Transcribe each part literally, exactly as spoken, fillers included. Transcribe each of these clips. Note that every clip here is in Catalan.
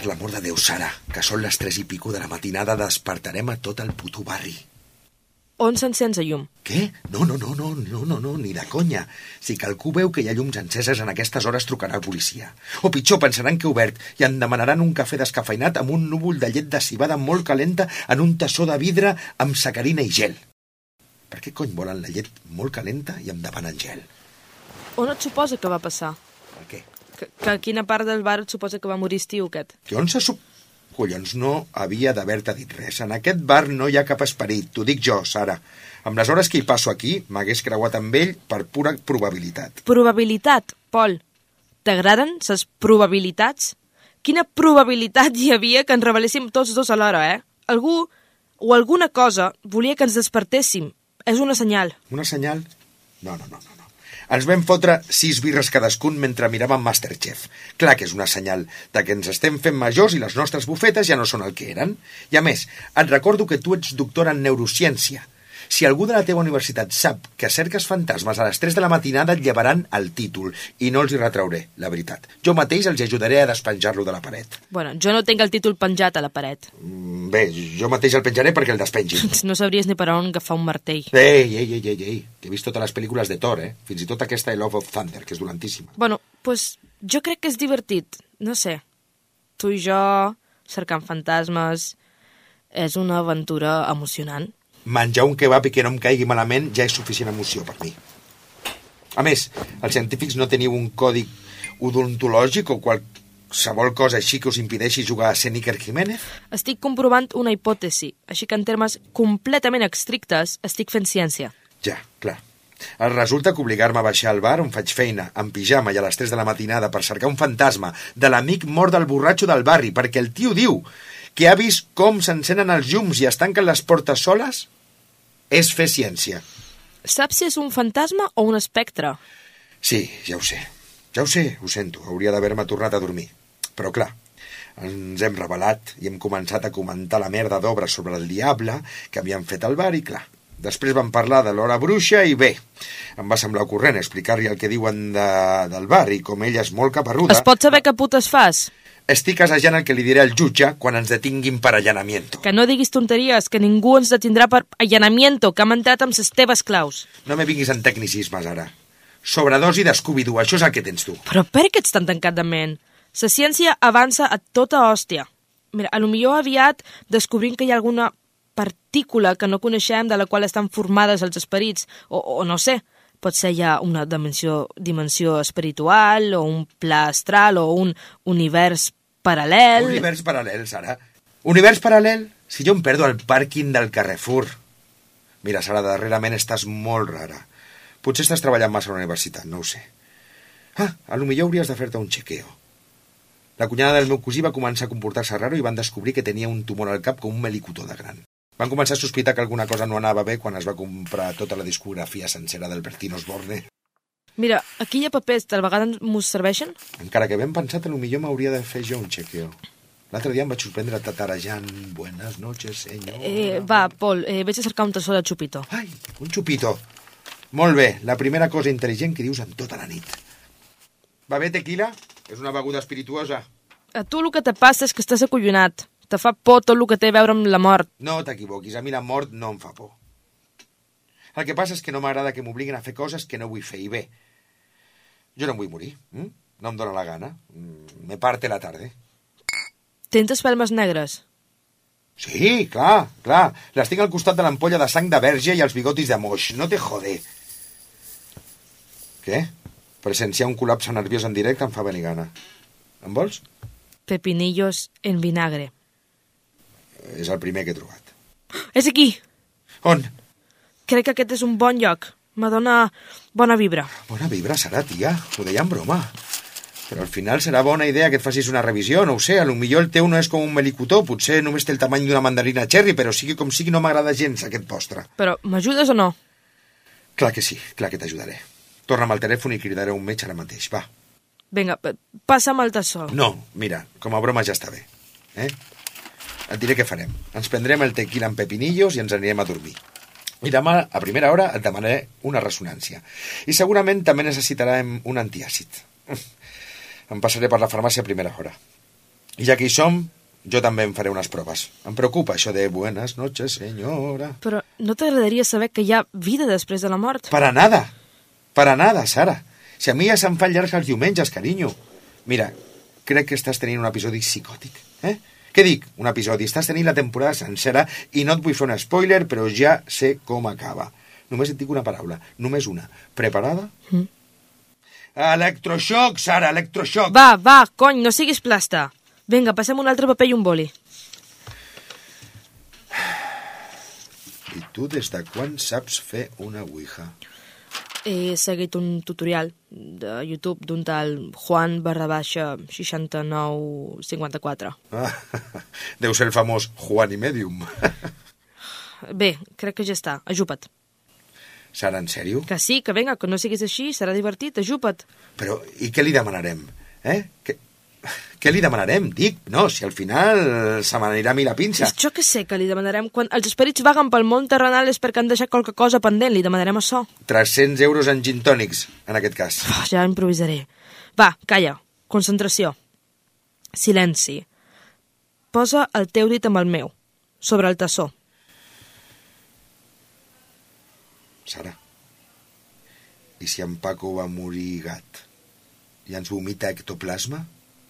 Per l'amor de Déu, Sara, que són les tres i pico de la matinada, despertarem a tot el puto barri. On s'encens la llum? Què? No, no, no, no, no, no, no, ni de conya. Si qualcú veu que hi ha llums enceses en aquestes hores trucarà a policia. O pitjor, pensaran que he obert i em demanaran un cafè descafeinat amb un núvol de llet de civada molt calenta en un tassó de vidre amb sacarina i gel. Per què cony volen la llet molt calenta i em demanen gel? On et suposa que va passar? Per què? Que, que a quina part del bar et suposa que va morir estiu, aquest? Que on se sup... Collons, no havia d'haver-te dit res. En aquest bar no hi ha cap esperit, t'ho dic jo, Sara. Amb les hores que hi passo aquí, m'hagués creuat amb ell per pura probabilitat. Probabilitat, Pol. T'agraden ses probabilitats? Quina probabilitat hi havia que ens reveléssim tots dos alhora, eh? Algú o alguna cosa volia que ens despertéssim. És una senyal. Una senyal? No, no, no, no. Ens vam fotre sis birres cadascun mentre miràvem Masterchef. Clar que és una senyal de que ens estem fent majors i les nostres bufetes ja no són el que eren. I a més, et recordo que tu ets doctora en neurociència. Si algú de la teva universitat sap que cerques fantasmes a les tres de la matinada, et llevaran el títol i no els hi retrauré, la veritat. Jo mateix els ajudaré a despenjar-lo de la paret. Bueno, jo no tinc el títol penjat a la paret. Bé, jo mateix el penjaré perquè el despengin. No sabries ni per on agafar un martell. Ei, ei, ei, ei, ei, que he vist totes les pel·lícules de Thor, eh? Fins i tot aquesta I Love of Thunder, que és dolentíssima. Bueno, pues jo crec que és divertit. No sé. Tu i jo, cercant fantasmes... És una aventura emocionant. Menjar un kebab i que no em caigui malament ja és suficient emoció per mi. A més, els científics no teniu un codi odontològic o qualsevol cosa així que us impedeixi jugar a ser Iker Jiménez? Estic comprovant una hipòtesi, així que en termes completament estrictes estic fent ciència. Ja, clar. Resulta que obligar-me a baixar al bar on faig feina, en pijama i a les tres de la matinada per cercar un fantasma de l'amic mort del borratxo del barri, perquè el tio diu que ha vist com s'encenen els llums i es tanquen les portes soles, és fer ciència. Saps si és un fantasma o un espectre? Sí, ja ho sé. Ja ho sé, ho sento. Hauria d'haver-me tornat a dormir. Però clar, ens hem revelat i hem començat a comentar la merda d'obres sobre el diable que havien fet al bar i clar. Després vam parlar de l'hora bruixa i bé, em va semblar ocorrent explicar-li el que diuen de, del bar i com ella és molt caparruda... Es pot saber què putes fas? Estic assajant el que li diré al jutge quan ens detinguin per allanamiento. Que no diguis tonteries, que ningú ens detindrà per allanamiento, que hem entrat amb les teves claus. No me vinguis en tecnicismes, ara. Sobredosi de Scooby-Doo, això és el que tens tu. Però per què ets tan tancat de ment? La ciència avança a tota hòstia. Mira, a lo millor aviat descobrim que hi ha alguna partícula que no coneixem de la qual estan formades els esperits, o, o no sé, pot ser ja una dimensió, dimensió espiritual, o un pla astral, o un univers paral·lel... Univers paral·lel, Sara. Univers paral·lel? Si jo em perdo al pàrquing del Carrefour. Mira, Sara, darrerament estàs molt rara. Potser estàs treballant massa a la universitat, no ho sé. Ah, a lo millor hauries de fer-te un chequeo. La cunyada del meu cosí va començar a comportar-se raro i van descobrir que tenia un tumor al cap com un melicotó de gran. Van començar a sospitar que alguna cosa no anava bé quan es va comprar tota la discografia sencera del Bertino Osborne. Mira, aquí hi ha papers, tal vegada m'ho serveixen? Encara que ben pensat, potser m'hauria de fer jo un chequeo. L'altre dia em vaig sorprendre tatarejant Buenas noches, senyor... Eh, va, Pol, eh, vaig a cercar un tassó de xupito. Ai, un xupito. Molt bé, la primera cosa intel·ligent que dius en tota la nit. Va bé, tequila? És una beguda espirituosa. A tu el que te passa és que estàs acollonat. Te fa por tot el que té a veure amb la mort. No t'equivoquis, a mi la mort no em fa por. El que passa és que no m'agrada que m'obliguin a fer coses que no vull fer, i bé, jo no em vull morir, hm? No em dóna la gana, me parte la tarde. Tens espelmes negres? Sí, clar, clar, les tinc al costat de l'ampolla de sang de verge i els bigotis de moix, no te jode. Què? Presenciar un col·lapse nerviós en directe em fa venir gana. En vols? Pepinillos en vinagre. És el primer que he trobat. És aquí! On? Crec que aquest és un bon lloc. Me dona bona vibra. Bona vibra serà, tia. Ho deia en broma. Però al final serà bona idea que et facis una revisió, no ho sé. A lo millor el teu no és com un melicotó, potser només té el tamany d'una mandarina cherry, però sigui com sigui no m'agrada gens aquest postre. Però m'ajudes o no? Clar que sí, clar que t'ajudaré. Torna'm al telèfon i cridaré un metge ara mateix, va. Vinga, passa'm el tassó. No, mira, com a broma ja està bé. Eh? Et diré què farem. Ens prendrem el tequila amb pepinillos i ens anirem a dormir. I demà, a primera hora, et demanaré una ressonància. I segurament també necessitarem un antiàcid. Em passaré per la farmàcia a primera hora. I ja que hi som, jo també em faré unes proves. Em preocupa això de buenas noches, senyora. Però no t'agradaria saber que hi ha vida després de la mort? Para nada. Para nada, Sara. Si a mi ja se'm fan llargs els diumenges, carinyo. Mira, crec que estàs tenint un episodi psicòtic, eh? Què dic? Un episodi. Estàs tenint la temporada sencera i no et vull fer un spoiler, però ja sé com acaba. Només et dic una paraula. Només una. Preparada? Mm. Electroshock, Sara, electroshock. Va, va, cony, no siguis plasta. Vinga, passem un altre paper i un boli. I tu des de quan saps fer una ouija? He seguit un tutorial de YouTube d'un tal Juan barra baixa seixanta-nou cinquanta-quatre. Ah, deu ser el famós Juan i Medium. Bé, crec que ja està. Ajupa't. Sara, en sèrio? Que sí, que vinga, que no siguis així, serà divertit, ajupa't. Però, i què li demanarem? Eh? Què, què li demanarem? Dic, no, si al final se m'anirà a mi la pinça. Jo que sé que li demanarem. Quan els esperits vaguen pel món terrenal és perquè han deixat qualque cosa pendent, li demanarem això. tres-cents euros en gin tònics, en aquest cas. Oh, ja improvisaré. Va, calla, concentració. Silenci. Posa el teu dit amb el meu, sobre el tassó. Sara, i si en Paco va morir gat i ens vomita ectoplasma,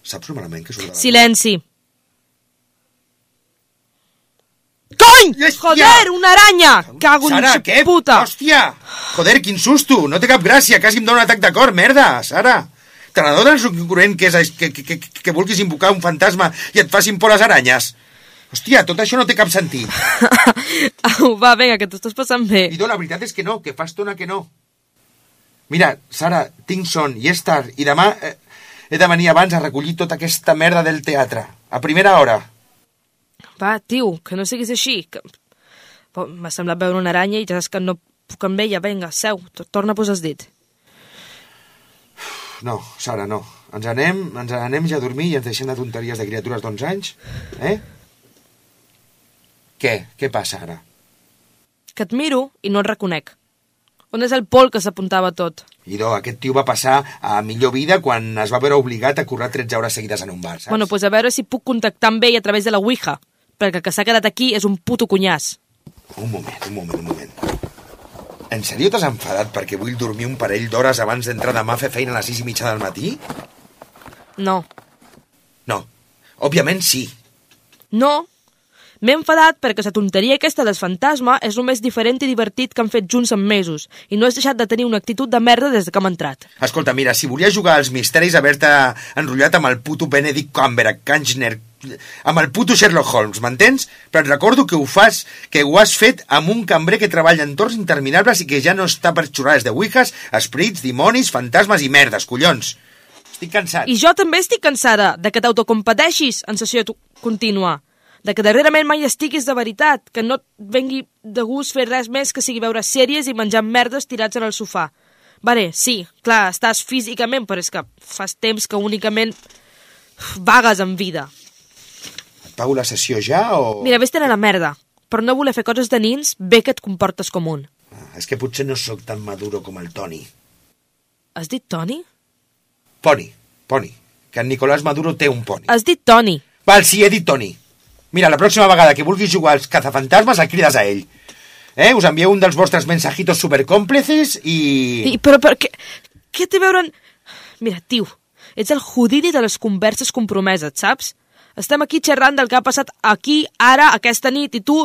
saps lo malament que surt de la... Silenci! Cony! Hòstia! Joder, una aranya! Cago en Sara, la què? puta! Hòstia! Joder, quin susto! No té cap gràcia, quasi em dóna un atac de cor, merda, Sara! Te n'adones l'incongruent que és que, que, que, que vulguis invocar un fantasma i et facin por les aranyes? Hòstia, tot això no té cap sentit. Au, va, vinga, que t'ho estàs passant bé. Idò, la veritat és que no, que fa estona que no. Mira, Sara, tinc son i és tard, i demà eh, he de venir abans a recollir tota aquesta merda del teatre, a primera hora. Va, tio, que no siguis així. Que... M'ha semblat veure una aranya i ja saps que no puc amb ella. Vinga, seu, torna a posar el dit. No, Sara, no. Ens anem, ens anem ja a dormir i ens deixem de tonteries de criatures d'onze anys, eh? Què? Què passa ara? Que et miro i no et reconec. On és el Pol que s'apuntava tot? Idò, aquest tio va passar a millor vida quan es va veure obligat a currar tretze hores seguides en un bar, saps? Bueno, doncs pues a veure si puc contactar amb ell a través de la Ouija, perquè el que s'ha quedat aquí és un puto cunyàs. Un moment, un moment, un moment. En sèrio t'has enfadat perquè vull dormir un parell d'hores abans d'entrar demà a fer feina a les sis i mitja del matí? No. No. Òbviament sí. No. M'he enfadat perquè la tonteria aquesta del fantasma és el més diferent i divertit que han fet junts en mesos i no has deixat de tenir una actitud de merda des que hem entrat. Escolta, mira, si volia jugar als misteris haver-te enrotllat amb el puto Benedict Cumberbatch, amb el puto Sherlock Holmes, m'entens? Però et recordo que ho fas, que ho has fet amb un cambrer que treballa en torns interminables i que ja no està per xurrades de ouijas, esprits, dimonis, fantasmes i merdes, collons. Estic cansat. I jo també estic cansada de que t'autocompeteixis en sessió contínua. De que darrerament mai estiguis de veritat, que no et vengui de gust fer res més que sigui veure sèries i menjar merdes tirats en el sofà. Vale, sí, clar, estàs físicament, però és que fas temps que únicament vagues en vida. Et pago la sessió ja o...? Mira, vés-te'n a la merda. Per no voler fer coses de nins, bé que et comportes com un. Ah, és que potser no sóc tan maduro com el Toni. Has dit Toni? Poni, Poni. Que en Nicolás Maduro té un poni. Has dit Toni. Val, sí, he dit Toni. Mira, la pròxima vegada que vulguis jugar als cazafantasmes el crides a ell. Eh? Us envieu un dels vostres mensajitos supercòmplices i... I però, però, què, què té a veure... En... Mira, tio, ets el Houdini de les converses compromeses, saps? Estem aquí xerrant del que ha passat aquí, ara, aquesta nit, i tu...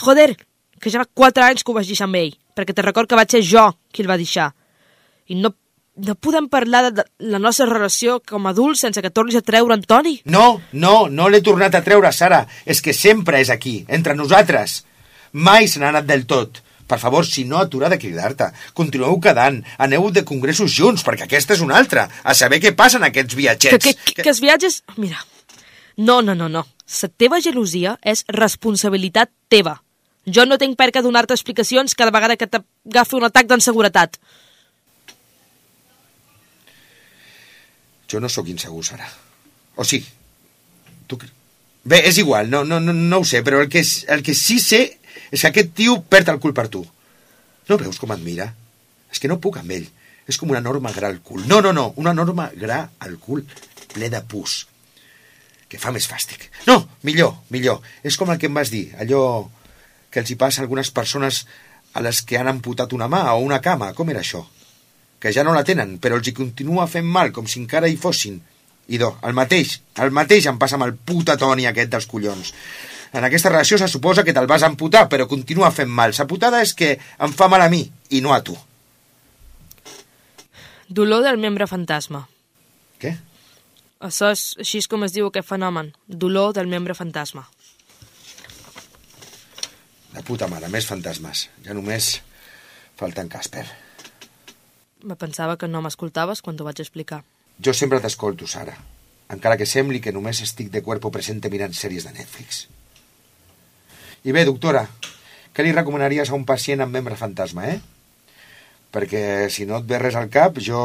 Joder, que ja fa quatre anys que ho vaig deixar amb ell, perquè te record que vaig ser jo qui el va deixar. I no... No podem parlar de la nostra relació com a adults sense que tornis a treure en Toni? No, no, no l'he tornat a treure, Sara. És que sempre és aquí, entre nosaltres. Mai se n'ha anat del tot. Per favor, si no, atura de cridar-te. Continueu quedant. Aneu de congressos junts, perquè aquesta és una altra. A saber què passa en aquests viatgets. Que, que, que, que els viatges... Mira, no, no, no, no. La teva gelosia és responsabilitat teva. Jo no tinc per què donar-te explicacions cada vegada que t'agafi un atac d'inseguretat. Jo no sóc insegur, Sara. O sí? Tu... Bé, és igual, no, no, no, no ho sé, però el que, el que sí sé és que aquest tio perd el cul per tu. No veus com et mira? És que no puc amb ell. És com una enorme gra al cul. No, no, no, una enorme gra al cul ple de pus. que fa més fàstic. No, millor, millor. És com el que em vas dir, allò que els hi passa a algunes persones a les que han amputat una mà o una cama. Com era això? Que ja no la tenen, però els hi continua fent mal, com si encara hi fossin. Idò, el mateix, el mateix em passa amb el puta Toni aquest dels collons. En aquesta relació se suposa que te'l vas amputar, però continua fent mal. Sa putada és que em fa mal a mi, i no a tu. Dolor del membre fantasma. Què? Això és així és com es diu aquest fenomen. Dolor del membre fantasma. De puta mare, més fantasmes. Ja només falta en Casper. Me pensava que no m'escoltaves quan t'ho vaig explicar. Jo sempre t'escolto, Sara. Encara que sembli que només estic de cuerpo presente mirant sèries de Netflix. I bé, doctora, què li recomanaries a un pacient amb membre fantasma, eh? Perquè si no et ve res al cap, jo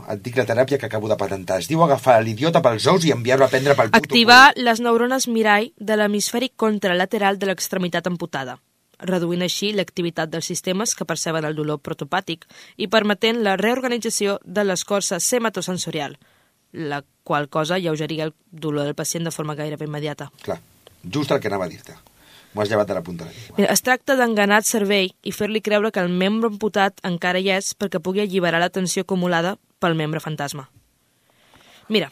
et dic la teràpia que acabo de patentar. Es diu agafar l'idiota pels ous i enviar-lo a prendre pel puto... Activar les neurones mirall de l'hemisferi contralateral de l'extremitat amputada, reduint així l'activitat dels sistemes que perceben el dolor protopàtic i permetent la reorganització de l'escorça sematosensorial, la qual cosa lleugeria el dolor del pacient de forma gairebé immediata. Clar, just el que anava a dir-te. M'ho has llevat a la punta de la llengua. Mira, es tracta d'enganar el cervell i fer-li creure que el membre amputat encara hi és perquè pugui alliberar la tensió acumulada pel membre fantasma. Mira,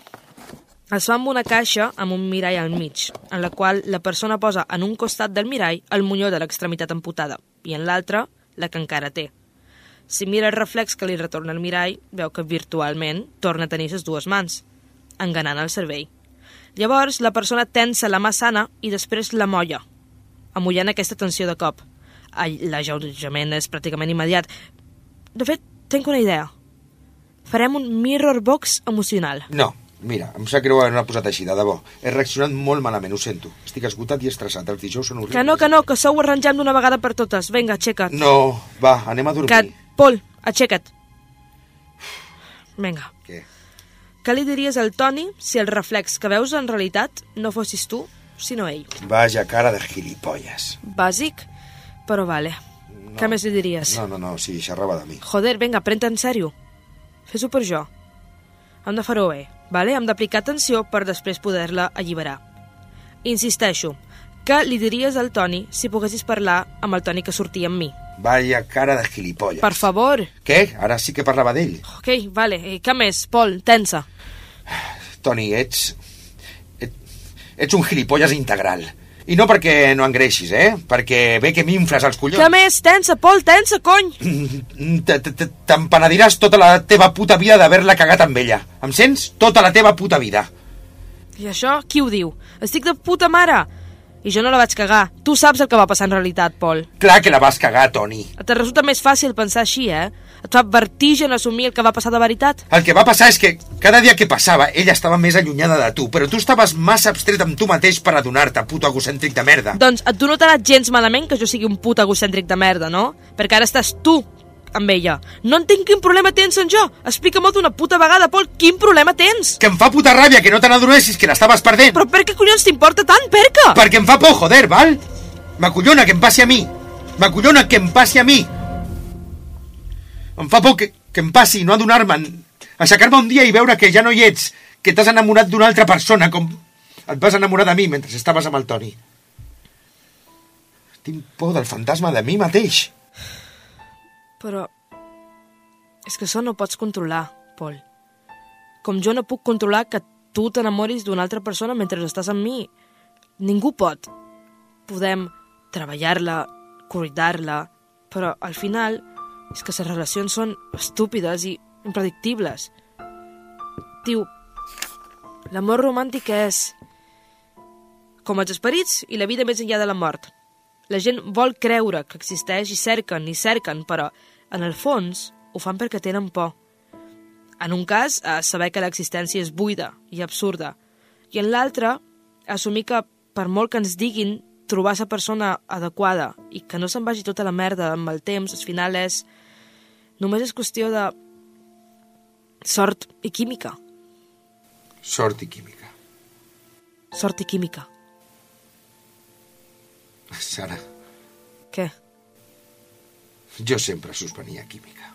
es fa amb una caixa amb un mirall al mig, en la qual la persona posa en un costat del mirall el monyó de l'extremitat amputada i en l'altre la que encara té. Si mira el reflex que li retorna el mirall, veu que virtualment torna a tenir les dues mans, enganant el cervell. Llavors, la persona tensa la mà sana i després la molla, amollant aquesta tensió de cop. L'alleujament és pràcticament immediat. De fet, tinc una idea. Farem un mirror box emocional. No, mira, em sap greu haver-me posat així, de debò. He reaccionat molt malament, ho sento. Estic esgotat i estressat, els dijous són horribles. Que no, que no, que això ho arrangem d'una vegada per totes. Vinga, aixeca't. No, va, anem a dormir. Que... Pol, aixeca't. Vinga. Què? Què li diries al Toni si el reflex que veus en realitat no fossis tu, sinó ell? Vaja cara de gilipolles. Bàsic, però vale. No. Què més li diries? No, no, no, sí, xerrava de mi. Joder, vinga, pren-te en sèrio. Fes-ho per jo. Hem de fer-ho bé, vale? Hem d'aplicar atenció per després poder-la alliberar. Insisteixo, què li diries al Toni si poguessis parlar amb el Toni que sortia amb mi? Vaja cara de gilipolles. Per favor. Què? Ara sí que parlava d'ell. Ok, vale. I què més? Pol, tensa. Toni, ets... ets... ets un gilipolles integral. I no perquè no engreixis, eh? Perquè ve que m'infles els collons. Què més? Tensa, Pol, tensa, cony! T'empenediràs tota la teva puta vida d'haver-la cagat amb ella. Em sents? Tota la teva puta vida. I això, qui ho diu? Estic de puta mare! I jo no la vaig cagar. Tu saps el que va passar en realitat, Pol. Clar que la vas cagar, Toni. Et resulta més fàcil pensar així, eh? Et fa vertigen assumir el que va passar de veritat. El que va passar és que cada dia que passava ella estava més allunyada de tu, però tu estaves massa abstret amb tu mateix per adonar-te, puto egocèntric de merda. Doncs a tu no t'ha anat gens malament que jo sigui un puto egocèntric de merda, no? Perquè ara estàs tu amb ella. No entenc quin problema tens en jo. Explica-m'ho d'una puta vegada, Pol. Quin problema tens? Que em fa puta ràbia que no te n'adonessis que l'estaves perdent. Però per què collons t'importa tant, per què? Perquè em fa por, joder, val? M'acollona que em passi a mi. M'acollona que em passi a mi. Em fa por que, que em passi i no adonar-me'n. Aixecar-me un dia i veure que ja no hi ets, que t'has enamorat d'una altra persona, com et vas enamorar de mi mentre estaves amb el Toni. Tinc por del fantasma de mi mateix. Però és que això no pots controlar, Pol. Com jo no puc controlar que tu t'enamoris d'una altra persona mentre estàs amb mi. Ningú pot. Podem treballar-la, cuidar-la, però al final és que les relacions són estúpides i impredictibles. Diu, l'amor romàntic és com els esperits i la vida més enllà de la mort. La gent vol creure que existeix i cerquen i cerquen, però en el fons ho fan perquè tenen por. En un cas, a saber que l'existència és buida i absurda, i en l'altre, assumir que per molt que ens diguin trobar la persona adequada i que no se'n vagi tota la merda amb el temps, al final és... només és qüestió de sort i química. Sort i química. Sort i química. Sara. Què? Jo sempre suspenia química.